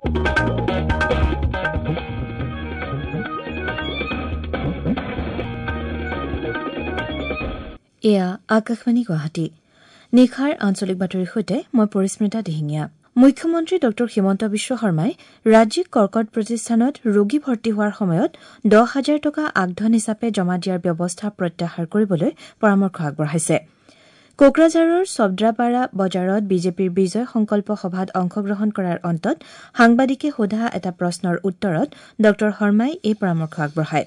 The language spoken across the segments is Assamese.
এয়া আকাশবাণী গুৱাহাটী। নিশাৰ আঞ্চলিক বাতৰিৰ সৈতে মই পৰিস্মিতা দিহিঙীয়া। মুখ্যমন্ত্ৰী ডঃ হিমন্ত বিশ্ব শৰ্মাই ৰাজ্যিক কৰ্কট প্ৰতিষ্ঠানত ৰোগী ভৰ্তি হোৱাৰ সময়ত ১০,০০০ টকা আগধন হিচাপে জমা দিয়াৰ ব্যৱস্থা প্ৰত্যাহাৰ কৰিবলৈ পৰামৰ্শ আগবঢ়াইছে। কোকৰাঝাৰৰ ছদ্ৰাপাৰা বজাৰত বিজেপিৰ বিজয় সংকল্প সভাত অংশগ্ৰহণ কৰাৰ অন্তত সাংবাদিকে সোধা এটা প্ৰশ্নৰ উত্তৰত ডঃ শৰ্মাই এই পৰামৰ্শ আগবঢ়ায়।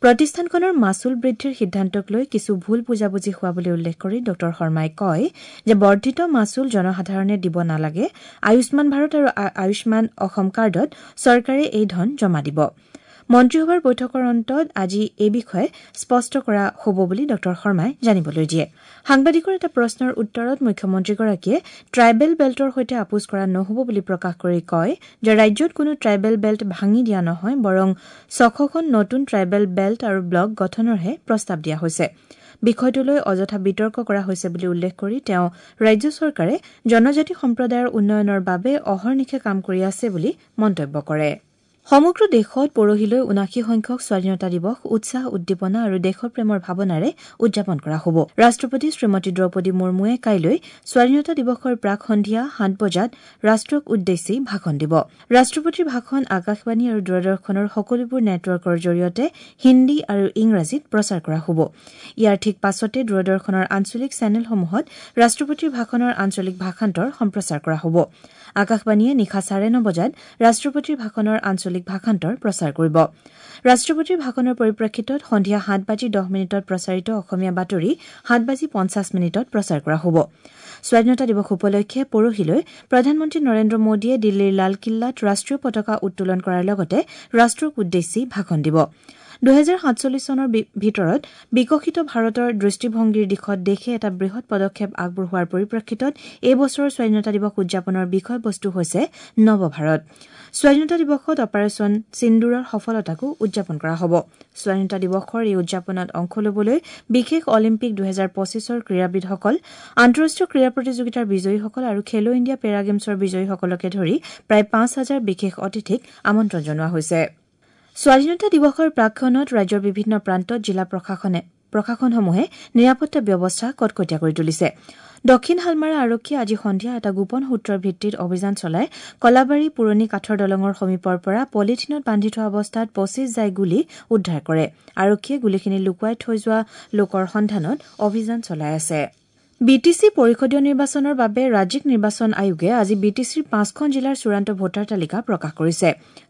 প্ৰতিষ্ঠানখনৰ মাচুল বৃদ্ধিৰ সিদ্ধান্তক লৈ কিছু ভুল বুজাবুজি হোৱা বুলি উল্লেখ কৰি ডঃ শৰ্মাই কয় যে বৰ্ধিত মাচুল জনসাধাৰণে দিব নালাগে। আয়ুষ্মান ভাৰত আৰু আয়ুষ্মান অসম কাৰ্ডত চৰকাৰে এই ধন জমা দিব। মন্ত্ৰীসভাৰ বৈঠকৰ অন্তত আজি এই বিষয়ে স্পষ্ট কৰা হ'ব বুলি ডঃ শৰ্মাই জানিবলৈ দিয়ে। সাংবাদিকৰ এটা প্ৰশ্নৰ উত্তৰত মুখ্যমন্ত্ৰীগৰাকীয়ে ট্ৰাইবেল বেল্টৰ সৈতে আপোচ কৰা নহ'ব বুলি প্ৰকাশ কৰি কয় যে ৰাজ্যত কোনো ট্ৰাইবেল বেল্ট ভাঙি দিয়া নহয়, বৰং ৬০০খন নতুন ট্ৰাইবেল বেল্ট আৰু ব্লক গঠনৰহে প্ৰস্তাৱ দিয়া হৈছে। বিষয়টোলৈ অযথা বিতৰ্ক কৰা হৈছে বুলি উল্লেখ কৰি তেওঁ ৰাজ্য চৰকাৰে জনজাতি সম্প্ৰদায়ৰ উন্নয়নৰ বাবে অহৰ্নিশে কাম কৰি আছে বুলি মন্তব্য কৰে। সমগ্ৰ দেশত পৰহিলৈ ৭৯ সংখ্যক স্বাধীনতা দিৱস উৎসাহ, উদ্দীপনা আৰু দেশপ্ৰেমৰ ভাৱনাৰে উদযাপন কৰা হ'ব। ৰাষ্ট্ৰপতি শ্ৰীমতী দ্ৰৌপদী মুৰ্মুৱে কাইলৈ স্বাধীনতা দিৱসৰ প্ৰাক সন্ধিয়া ৭ বজাত ৰাষ্ট্ৰক উদ্দেশ্যি ভাষণ দিব। ৰাষ্ট্ৰপতিৰ ভাষণ আকাশবাণী আৰু দূৰদৰ্শনৰ সকলোবোৰ নেটৱৰ্কৰ জৰিয়তে হিন্দী আৰু ইংৰাজীত প্ৰচাৰ কৰা হ'ব। ইয়াৰ ঠিক পাছতে দূৰদৰ্শনৰ আঞ্চলিক চেনেলসমূহত ৰাষ্ট্ৰপতিৰ ভাষণৰ আঞ্চলিক ভাষান্তৰ সম্প্ৰচাৰ কৰা হ'ব। আকাশবাণীয়ে নিশা ৯:৩০ বজাত ৰাষ্ট্ৰপতিৰ ভাষণৰ আঞ্চলিক ভাষান্তৰ প্ৰচাৰ কৰিব। ৰাষ্ট্ৰপতিৰ ভাষণৰ পৰিপ্ৰেক্ষিতত সন্ধিয়া ৭:১০ প্ৰচাৰিত অসমীয়া বাতৰি ৭:৫০ প্ৰচাৰ কৰা হ'ব। স্বাধীনতা দিৱস উপলক্ষে পৰহিলৈ প্ৰধানমন্ত্ৰী নৰেন্দ্ৰ মোদীয়ে দিল্লীৰ লালকিল্লাত ৰাষ্ট্ৰীয় পতাকা উত্তোলন কৰাৰ লগতে ৰাষ্ট্ৰক উদ্দেশ্যি ভাষণ দিব। ২০৪৭ চনৰ ভিতৰত বিকশিত ভাৰতৰ দৃষ্টিভংগীৰ দিশত দেশে এটা বৃহৎ পদক্ষেপ আগবঢ়োৱাৰ পৰিপ্ৰেক্ষিতত এই বছৰৰ স্বাধীনতা দিৱস উদযাপনৰ বিষয়বস্তু হৈছে নৱ ভাৰত। স্বাধীনতা দিৱসত অপাৰেচন সিন্দুৰৰ সফলতাকো উদযাপন কৰা হ'ব। স্বাধীনতা দিৱসৰ এই উদযাপনত অংশ ল'বলৈ বিশেষ অলিম্পিক ২০২৫ৰ ক্ৰীড়াবিদসকল, আন্তঃৰাষ্ট্ৰীয় ক্ৰীড়া প্ৰতিযোগিতাৰ বিজয়ীসকল আৰু খেলো ইণ্ডিয়া পেৰা গেমছৰ বিজয়ীসকলকে ধৰি প্ৰায় ৫,০০০ বিশেষ অতিথিক আমন্ত্ৰণ জনোৱা হৈছে। স্বাধীনতা দিৱসৰ প্ৰাকক্ষণত ৰাজ্যৰ বিভিন্ন প্ৰান্তত জিলা প্ৰশাসনসমূহে নিৰাপত্তা ব্যৱস্থা কটকটীয়া কৰি তুলিছে। দক্ষিণ হালমাৰা আৰক্ষীয়ে আজি সন্ধিয়া এটা গোপন সূত্ৰৰ ভিত্তিত অভিযান চলাই কলাবাৰী পুৰণি কাঠৰ দলঙৰ সমীপৰ পৰা পলিথিনত বান্ধি থোৱা অৱস্থাত ২৫ জাই গুলী উদ্ধাৰ কৰে। আৰক্ষীয়ে গুলীখিনি লুকুৱাই থৈ যোৱা লোকৰ সন্ধানত অভিযান চলাই আছে। বিটিচি পৰিষদীয় নিৰ্বাচনৰ বাবে ৰাজ্যিক নিৰ্বাচন আয়োগে আজি বিটিচিৰ ৫খন জিলাৰ চূড়ান্ত ভোটাৰ তালিকা প্ৰকাশ কৰিছে।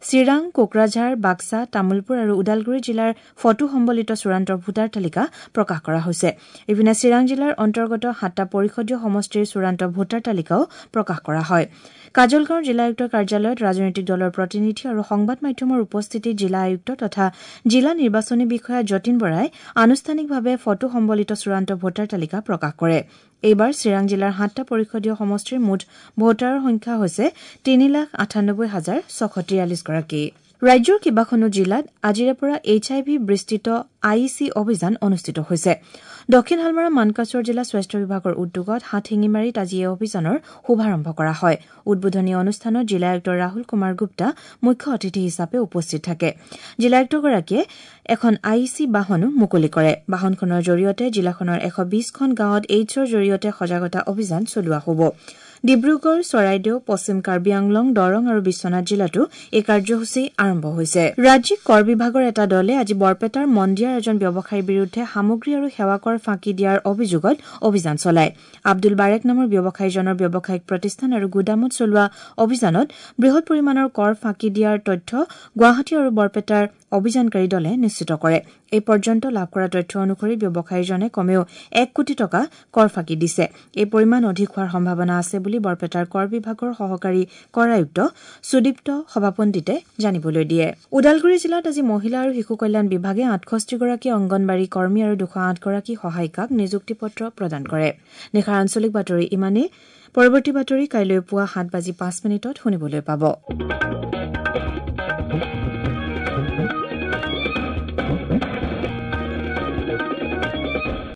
চিৰাং, কোকৰাঝাৰ, বাক্সা, তামুলপুৰ আৰু ওদালগুৰি জিলাৰ ফটো সম্বলিত চূড়ান্ত ভোটাৰ তালিকা প্ৰকাশ কৰা হৈছে। ইপিনে চিৰাং জিলাৰ অন্তৰ্গত ৭টা পৰিষদীয় সমষ্টিৰ চূড়ান্ত ভোটাৰ তালিকাও প্ৰকাশ কৰা হয়। কাজলগাঁৱৰ জিলা আয়ুক্তৰ কাৰ্যালয়ত ৰাজনৈতিক দলৰ প্ৰতিনিধি আৰু সংবাদ মাধ্যমৰ উপস্থিতিত জিলা আয়ুক্ত তথা জিলা নিৰ্বাচনী বিষয়া যতীন বৰাই আনুষ্ঠানিকভাৱে ফটো সম্বলিত চূড়ান্ত ভোটাৰ তালিকা প্ৰকাশ কৰে। এইবাৰ চিৰাং জিলাৰ ৭টা পৰিষদীয় সমষ্টিৰ মুঠ ভোটাৰৰ সংখ্যা হৈছে ৩,৯৮,৬৪৩ গৰাকী। ৰাজ্যৰ কেইবাখনো জিলাত আজিৰে পৰা এইচ আই ভি বিস্তৃত I E C অভিযান অনুষ্ঠিত হৈছে। দক্ষিণ হালমাৰা মানকাচৰ জিলা স্বাস্থ্য বিভাগৰ উদ্যোগত হাটশিঙিমাৰীত আজি এই অভিযানৰ শুভাৰম্ভ কৰা হয়। উদ্বোধনী অনুষ্ঠানত জিলা আয়ুক্ত ৰাহুল কুমাৰ গুপ্তা মুখ্য অতিথি হিচাপে উপস্থিত থাকে। জিলা আয়ুক্তগৰাকীয়ে এখন I E C বাহনো মুকলি কৰে। বাহনখনৰ জৰিয়তে জিলাখনৰ ১২০খন গাঁৱত এইডছৰ জৰিয়তে সজাগতা অভিযান চলোৱা হ'ব। ডিব্ৰুগড়, চৰাইদেউ, পশ্চিম কাৰ্বি আংলং, দৰং আৰু বিশ্বনাথ জিলাতো এই কাৰ্যসূচী আৰম্ভ হৈছে। ৰাজ্যিক কৰ বিভাগৰ এটা দলে আজি বৰপেটাৰ মন্দিয়াৰ এজন ব্যৱসায়ীৰ বিৰুদ্ধে সামগ্ৰী আৰু সেৱা কৰ ফাঁকি দিয়াৰ অভিযোগত অভিযান চলায়। আব্দুল বাৰেক নামৰ ব্যৱসায়ীজনৰ ব্যৱসায়িক প্ৰতিষ্ঠান আৰু গুদামত চলোৱা অভিযানত বৃহৎ পৰিমাণৰ কৰ ফাঁকি দিয়াৰ তথ্য গুৱাহাটী আৰু বৰপেটাৰ অভিযানকাৰী দলে নিশ্চিত কৰে। এই পৰ্যন্ত লাভ কৰা তথ্য অনুসৰি ব্যৱসায়ীজনে কমেও ১ কোটি টকা কৰ ফাঁকি দিছে। এই পৰিমাণ অধিক হোৱাৰ সম্ভাৱনা আছে বুলি বৰপেটাৰ কৰ বিভাগৰ সহকাৰী কৰ আয়ুক্ত সুদীপ্ত সভাপণ্ডিতে জানিবলৈ দিয়ে। ওদালগুৰি জিলাত আজি মহিলা আৰু শিশু কল্যাণ বিভাগে ৬৮ গৰাকী অংগনবাড়ী কৰ্মী আৰু ২০৮ গৰাকী সহায়িকাক নিযুক্তি পত্ৰ প্ৰদান কৰে। নিশাৰ আঞ্চলিক বাতৰি ইমানেই। পৰৱৰ্তী বাতৰি কাইলৈ পুৱা ৭:০৫ শুনিবলৈ পাব।